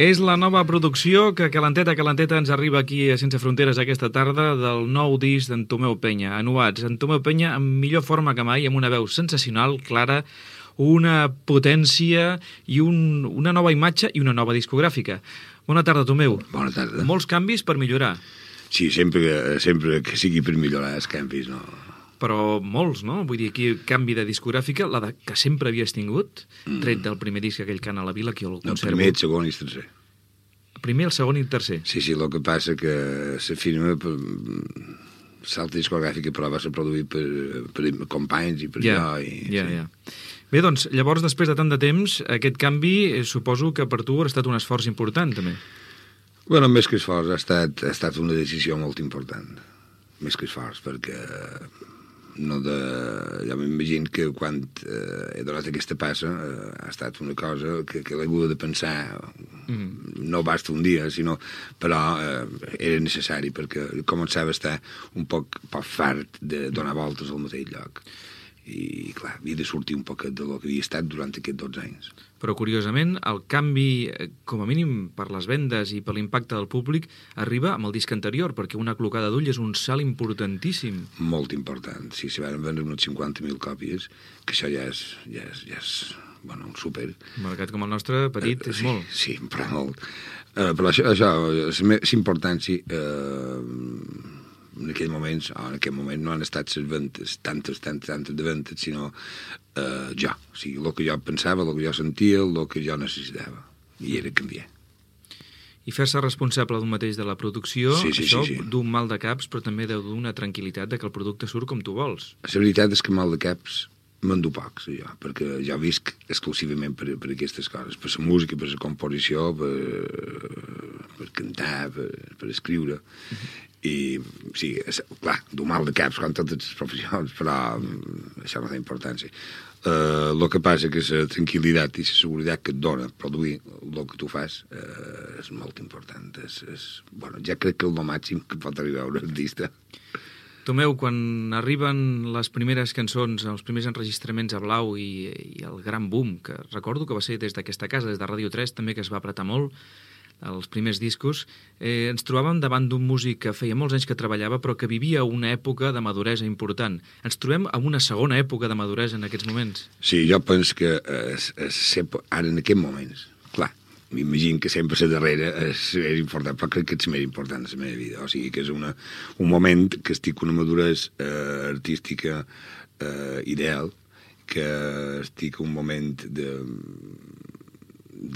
És la nova producció que calenteta ens arriba aquí a Sense Fronteres aquesta tarda del nou disc d'en Tomeu Penya, Anuats. En Tomeu Penya en millor forma que mai, amb una veu sensacional, clara, una potència i una nova imatge i una nova discogràfica. Bona tarda, Tomeu. Bona tarda. Molts canvis per millorar. Sí, sempre que sigui per millorar els canvis, no? Però molts, no? Vull dir, aquí canvi de discogràfica, la que sempre havies tingut, tret del primer disc, aquell Cant a la Vila, que jo el conservo. El primer, el segon i el tercer. El primer, el segon i el tercer. Sí, el que passa que la firma, l'altra discogràfica, però va ser produït per companys i per jo. Ja. Bé, doncs, llavors, després de tant de temps, aquest canvi, suposo que per tu ha estat un esforç important, també. Bueno, més que esforç, ha estat una decisió molt important. Més que esforç, perquè jo m'imagino que quan he donat aquesta passa ha estat una cosa que l'he hagut de pensar, no basta un dia, però era necessari, perquè començava a estar un poc fart de donar voltes al mateix lloc. I, clar, havia de sortir un poquet de lo que havia estat durant aquests 12 anys. Però, curiosament, el canvi, com a mínim per les vendes i per l'impacte del públic, arriba amb el disc anterior, perquè una clocada d'ull és un salt importantíssim. Molt important. Sí, se van vendre unes 50.000 còpies, que això ja és un súper. Un mercat com el nostre, petit, és molt. Sí, però molt. Però això, és importància... en aquest moment no han estat les ventes, tantes de ventes, sinó jo. O sigui, el que jo pensava, el que jo sentia, el que jo necessitava. I era canviar. I fer-se responsable d'un mateix de la producció, això sí. d'un mal de caps, però també deu d'una tranquil·litat de que el producte surt com tu vols. La veritat és que mal de caps m'en du pocs, jo, perquè jo visc exclusivament per aquestes coses, per la música, per la composició, per cantar, per escriure. I, sí, clar, du mal de caps com totes les professions, però això no té importància. El que passa que la tranquil·litat i la seguretat que et dona produir el que tu fas és molt important. Ja crec que és el màxim que pot arribar un artista. Tomeu, quan arriben les primeres cançons, els primers enregistraments a Blau i el gran boom, que recordo que va ser des d'aquesta casa, des de Ràdio 3, també que es va apretar molt, els primers discos, ens trobàvem davant d'un músic que feia molts anys que treballava però que vivia una època de maduresa important. Ens trobem en una segona època de maduresa en aquests moments? Sí, jo penso que ara en aquests moments, clar, m'imagino que sempre la darrera és important, però crec que és més important en la meva vida. O sigui que és un moment que estic una maduresa artística ideal, que estic un moment de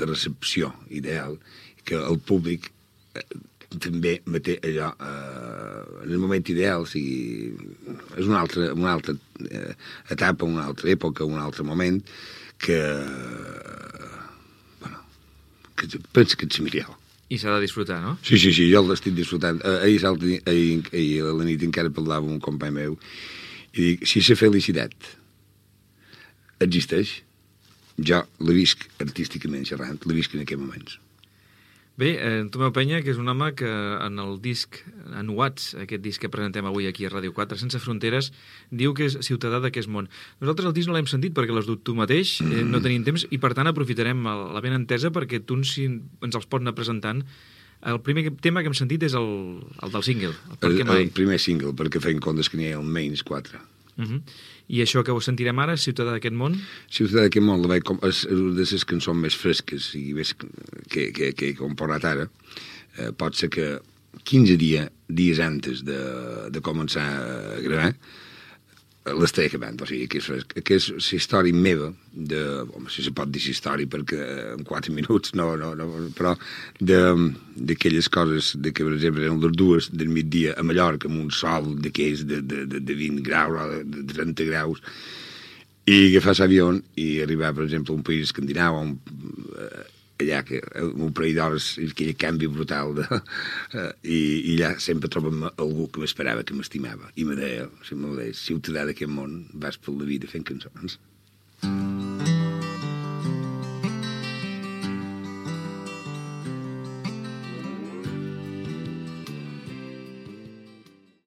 recepció ideal, que el públic també me té allò en el moment ideal, o sigui, és una altra etapa, una altra època, un altre moment que penso que és millor. I s'ha de disfrutar, no? Sí, jo l'estic disfrutant. Ahir a la nit encara parlava amb un company meu i dic, si la felicitat existeix, jo la visc artísticament xerrant, la visc en aquests moments. Bé, Tomeu Penya, que és un home que en el disc Anuats, aquest disc que presentem avui aquí a Ràdio 4, Sense Fronteres, diu que és ciutadà d'aquest món. Nosaltres el disc no l'hem sentit perquè l'has dut tu mateix, no tenim temps, i per tant aprofitarem la ben entesa perquè tu ens els pots anar presentant. El primer tema que hem sentit és el del single, el primer single, perquè feien comptes que n'hi ha almenys 4. I això que ho sentirem ara, Ciutadà d'aquest món? Ciutadà d'aquest món és una de les cançons més fresques i més que he composat ara. Pot ser que 15 dies antes de començar a gravar l'estaré acabant, o sigui, que és la història meva si se pot dir història perquè en 4 minuts no, però d'aquelles coses que, per exemple, eren les 2 del migdia a Mallorca amb un sol d'aquells de 20 graus o de 30 graus i agafar l'avió i arribar, per exemple, a un país escandinau allà, un parell d'hores, aquell canvi brutal i allà sempre trobem algú que m'esperava, que m'estimava i me deia, ciutadà d'aquest món, vas per la vida fent cançons.